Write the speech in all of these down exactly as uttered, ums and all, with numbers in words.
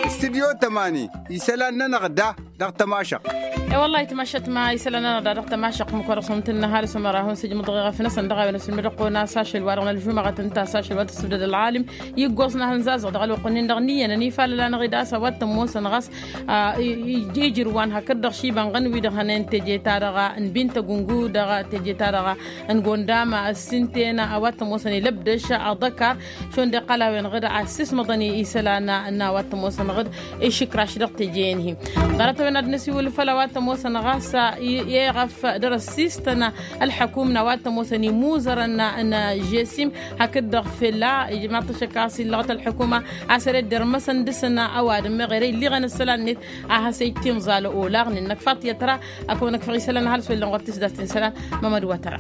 Studyo tămani isălan-nănăɣ da dăɣ-tămašăɣt. E-wăllah itmašăt ma isălan-nănăɣ da dăɣ-tămašăɣt mukăr-săn tǝnnăhal s-ămăra hun sǝjmǝḍ ɣef năsăn dăɣ-a-wen ăsǝlmǝdăɣ kăwăn-as ašăl wa dăɣ-nălžumăɣăt ǝnta a-s ašăl wa tăsǝbdăd ălɣalim iggoẓ n-ahǝnzazăɣ dăɣ-ălwăqq-nin-dăɣ n-iyyăn ănifalăl-anăɣ-dd a-s a-wa t-ămoosăn ɣas ijrǝwăn hakd-dăɣ šibănɣăn wi-dăɣ hănen teje-ta-dăɣ n-bintăgungu dăɣ-teje-ta-dăɣ n-gondam ăssinten a-wa t-ămoosăn ilăbdăš aḍăkar šund iqqăl-a-wen ɣǝd a ăssismăḍăn isălan n-a-wa t-ămoosăn ɣǝd išǝkraš dăɣ-teje-en-hi. Ḍarăt-a-wen ad-năsiwǝl făll-a-wa t-ămoosăn ɣas iɣăf dăr-ăssistăn ălḥăkum n-a-wa t-ămoosăn imuzărăn n-žesim hakd-dăɣ fella ijmaḍ-t ašăk a-s illăɣăt ălḥăkuma a-s ere dd-irmăsăn dăr-săn ăwadǝm meɣ ere illiɣăn isălan-net a has-ej timẓal olaɣ n-innăk faṭiyăt ra. Ad-kăwăn-ăkfăɣ isălan ăhalǝs wa illăn ɣur-tisdast n-isălan mămăd wa tăra.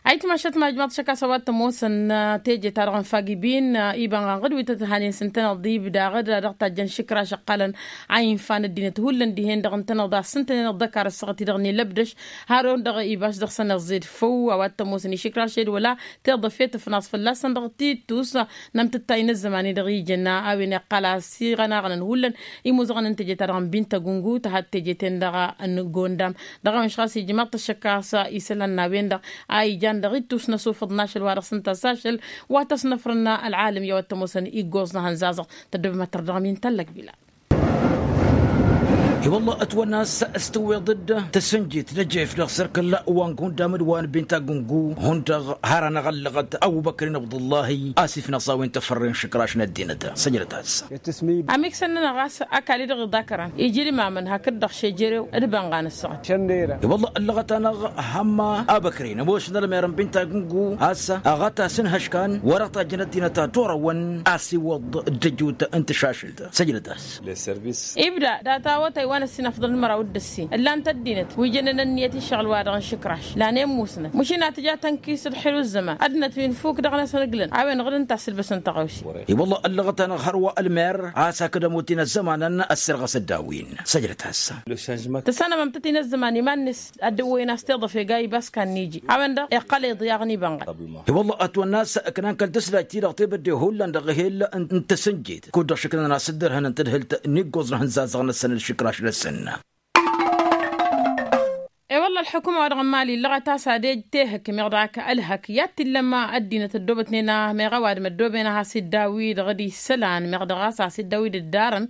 Ayǝtmašăt ma ijmaḍ-t ašăk a-s a-wa t-ămoosăn teje-ta-dăɣ n-fagibin iba n-ɣanɣăd wi tăt-hanen s-ǝntăneḍ d-ibda ɣǝd dăɣ-tajjăn šǝkraš ăqqalăn a infa n-ăddinăt hullan dihen-dăɣ ǝntăneḍ a-s ǝntăneḍ d-ăkar ăssaɣăt i-dăɣ n-ilăbdăš har-on-dăɣ ibaš dăɣ-săn iẓẓed făw a-wa t-ămoosăn išǝkraš ed wăla tiḍăfet ǝfnaẓ fălla-săn dăɣ-tittus n-amtǝttay n-ăzzăman-i-dăɣ ijăn a-wen iqqal a-s iɣănaɣăn hullan imuzăɣăn n-teje-ta-dăɣ n-bintăgungu tăhad teje-ten-dăɣ n-gondam. Dăɣ-a-wen š-ɣas ijmaḍ-t ašăk a-s isălan n-a-wen-dăɣ a ijan dăɣ-ittus n-asufăḍ n-ašăl wa dăɣ-săn tăsašăl wa tăsnăfrăn ălɣalăm i-a-wa t-ămoosăn iggoẓ n-ahănzazăɣ. Tăddobem ad-tărdăɣăm i-n tallăg bila. I-wălla ătwănna a-s s-tǝwweḍ-dd tăsǝnjit n-ejef dăɣ-sărkăl wa n-gundam d-wa n-binta gungu hundăɣ har anăɣ-ăllăɣăt ăbubăkrin abdullahi a-s ifnăẓ a-wen tăfărren šǝkraš n-ăddinăt. Săjdăt-as. Amiksăn-nănăɣ a-s ăkall-i-dăɣ iḍakărăn iji ălmamăn hakd-dăɣ šejerew d-ibănɣa n-ǝssăɣăt. I-wălla ăllăɣăt-anăɣ hămma abăkre n-ămoos n-ălmer n-binta gungu a-s ăɣăt-as n-ihăškan wăr-ăṭṭajjăn ăddinăt ad-orăwăn a-s iwwăḍ d-ejut n-tǝšašǝlt. Săjdăt-as. Ibda data awătay wa n-ăssin afḍăl n-măraw d-ǝssin ǝllan-t ăddinăt wi jănnen ănniyăt iššăɣǝl-wa-dăɣ n-išǝkraš lanen musnăt măšin ad-tǝja tănkis d-xelu ăzzăman ăddinăt wi n-fuk dăɣ-năsăn ǝglăn a-wen ɣǝd ǝnta a-s ǝlbăsăn tăɣawse. I-wălla ăllăɣăt-anăɣ hărwa ălmer a-s hakd ămutin ăzzămanăn ăssirɣăs ăddawen. Săjdăt-as. Tăssanămăm-tăt-in ăzzăman iman-net ad-dd-ăwwăyăn a-s tiḍăfe ga ibas kan n-iji a-wen-dăɣ iqqăl iḍyaɣ n-ibănɣăt. I-wălla ătwănna a-s ǝknan kăl-tǝslajt-i-dăɣ tebădde hullan dăɣ-ehel n-tăsǝnjet kud-dăɣ šǝknăn a-s dd-ărhănăn tadhǝlt n-iggoẓ n-ahǝnzazăɣ-năsăn d-išǝkraš-năsăn. E-wălla ălḥukuma-wa-dăɣ n-imali ǝllăɣăt a-s ad-ej tehǝk meɣ dăɣ-ak ălhăk i-ad-t-illăm ăddinăt ăddoobătnen a meɣ ăwadǝm ăddooben a has-iddawi-dăɣ d-isălan meɣ dăɣ-a-s a-s iddawi-dd ǝddarăn.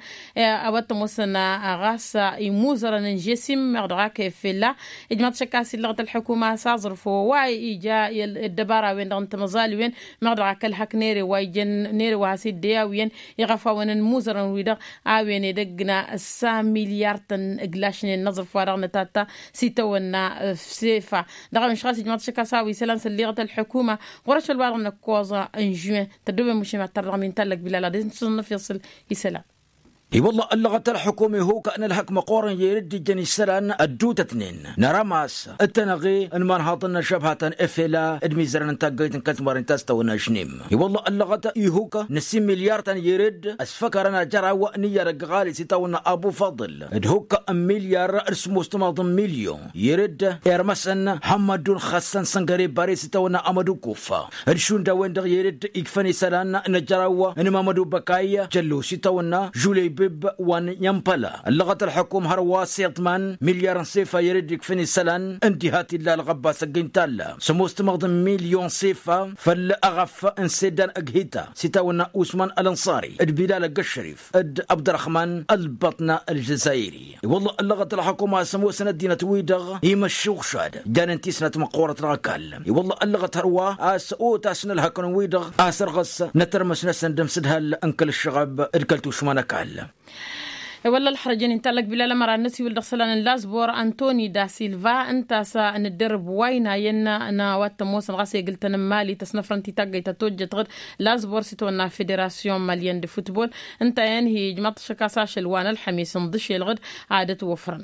A-wa t-ămoosăn ɣas imuzărăn n-žesim meɣ dăɣ-ak efella ijmaḍ-t šăkk a-s illăɣăt ălḥukuma a-s aẓrǝf wa ija ăddăbara-wen-dăɣ n-timăẓaliwen meɣ dăɣ-ak ălhăk n-ere wa ijăn n-ere wa has-iddeyaw iyyăn iɣăfawăn n-imuzărăn-wi-dăɣ a-wen edăgg n-ăssa milyar-tăn ǝglašnen n-aẓrǝf wa dăɣ-nătatta s-itawănna. Sefa dăɣ-a-wen š-ɣas ijmaḍ-t šăkk a-s a-wa isălan s-ălliɣăt ălḥukuma ɣur-ašăl wa dăɣ-năkkoẓ n-žuin. Tăddobem mušem ad-tărdăɣ min tallăg bilal ad-dd-nǝsǝẓnăf iṣǝl isălan. I-wălla ăllăɣăt ălḥukum ihuk n-ălhăk măqqoorăn i-dd-ijăn isălan ădduutătnen năra ma-s d-tenăɣe n-imanhaḍăn n-ăžžăbha ta n-efela d-imizărăn n-taggăyt n-kăl-timarint ta s-tawănna žnim. I-wălla ăllăɣăt ihuk n-ăssin milyar ta n-i-dd ăsfăkarăn ajăraw n-iyyăr ăgg ɣali s-itawănna abu faḍǝl d-ihuk n-milyar d-sămoos timaḍ n-milyon i-dd irmăsăn hămmădun xăssăn săngăre bare s-itawănna amădu kuffa d-šund a-wen-dăɣ i-dd ikfăn isălan n-ajăraw n-imamădu băkay jăllu s-itawănna žulăybǝb wa n-iyyăn păla ăllăɣăt ălḥukum hărwa s-iḍman milyar n-sefa i-dd ikfăn isălan n-diha t-illa ălɣăbba s-ăgg-intalla sămoos timaḍ n-milyon sefa făll-aɣăf n-seddan ăgg-hita s-itawănna usman ălănṣari d-bilal ăgg-ăššărif d-abdărăxman ălbăṭna ălžăzayri. I-wălla ăllăɣăt ălxukuma a-s ămoosăn ăddinăt-wi-dăɣ imăššuɣšad janen tisnat măqqoorăt dăɣ-ăkall. I-wălla ăllăɣăt hărwa a-s otasăn ălhăkăn-wi-dăɣ a-s ărɣăs n-atărmăs-năsăn d-ămsǝdhal n-kăl-ǝššăɣăb d-kăl-tušma n-ăkall. I-wălla ălxărăjăn-in tallăk bilal ămăra n-năsiwǝl dăɣ-isălan n-lazbor antoni da silva ǝnta a-s nǝddărǝb wa ăynayăn n-a-wa t-ămoosăn ɣas egǝl-tăn n-mali tăsnăfrăn-t i-taggăyt ta tojjăt ɣǝd lazbor s-itwănna federasyon malyen d-futbol. Ǝnta a iyyăn hi-ijmăḍ-t ašăk a-s ašăl wa n-ălxămis ǝnḍǝšel ɣǝd ad-ătwăfrăn.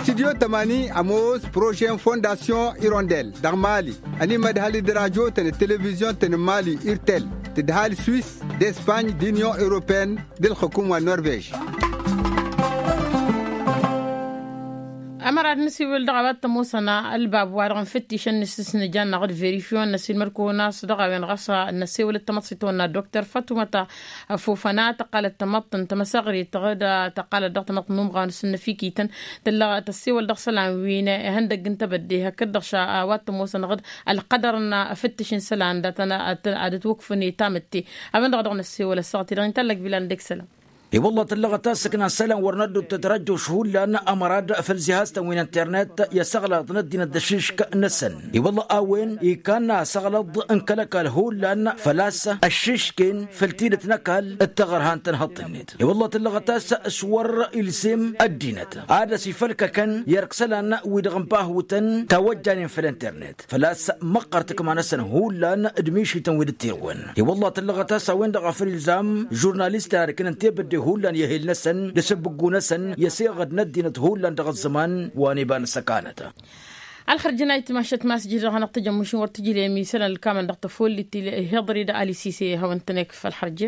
Studyo tămani ămoos prože n-fondasyon irondel dăɣ-mali ănimădhăl d-rajo-tăn d-televizyon-tăn n-mali irtel tǝdhal swis d-espany d-inyon europeyăn d-ǝlxǝkum wa n-norvej. Ămăra d-nǝsiwǝl dăɣ-a-wa t-ămoosăn ălbab wa-dăɣ n-făttišăn n-asǝsnǝja n-aɣǝd verifion n-asǝlmăd kăwăn-as dăɣ-a-wen ɣas n-asewălăt tamăḍsit tăwănna dokter fatuma ta fofăna tăqqalăt tamăḍt n-tamăsăɣrit tăɣǝd tăqqalăt dăɣ-tamăḍt n-umɣan s-ǝnnăfikităn tăllăɣ tăssewăl dăɣ-isălan wi n-ihăndăgg n-tebădde hakd-dăɣ ša a-wa t-ămoosăn aɣǝd ălqădăr n-afǝttǝš n-isălan dat-ănn ad-ătwăkfăn i-tamǝtte. A-wen-dăɣ a dăɣ-năssewăl ăssaɣăt-i-dăɣ inta ăllăg bilal n-dek isălan. I-wălla tăllăɣăt a-s ǝknan isălan wăr năddob tătrăjjoš hullan ămăra d-făll zihaztăn wi n-internet i-asăɣlăḍ n-ăddinăt d-ăššǝšk-năsăn. I-wălla a-wen ikannă asăɣlăḍ n-kăl-ăkall hullan făl-a-s ăššǝšken făll-tidǝt n-ăkall d-taɣărha n-tănhăḍt-net. I-wălla tăllăɣăt a-s s-wăr-ilzem ăddinăt ad-ăsifălkăkăn i-ărk isălan-wi-dăɣ n-bahutăn tawăjjanen făll-internet făl-a-s măqqăr tǝkma-năsăn hullan d-mišităn wi dd-tirǝwăn. I-wălla tăllăɣăt a-s a-wen-dăɣ a făl ilzam žurnalistăn ad-ǝknăn tebădde hullan i-ehel-năsăn d-asǝbbǝggu-năsăn i-aseɣăd n-ăddinăt hullan dăɣ-ăzzăman wa n-iba n-ăssăkanăt. Ălxărjăn a itmašăt ma s-jir-dăɣ hanăɣ-tăjămmušin wăr tǝjǝlem isălan ǝlkamăn dăɣ-tăfollit ihiḍăr-i d-alisise hawăn-tăn-ekf ălxărje.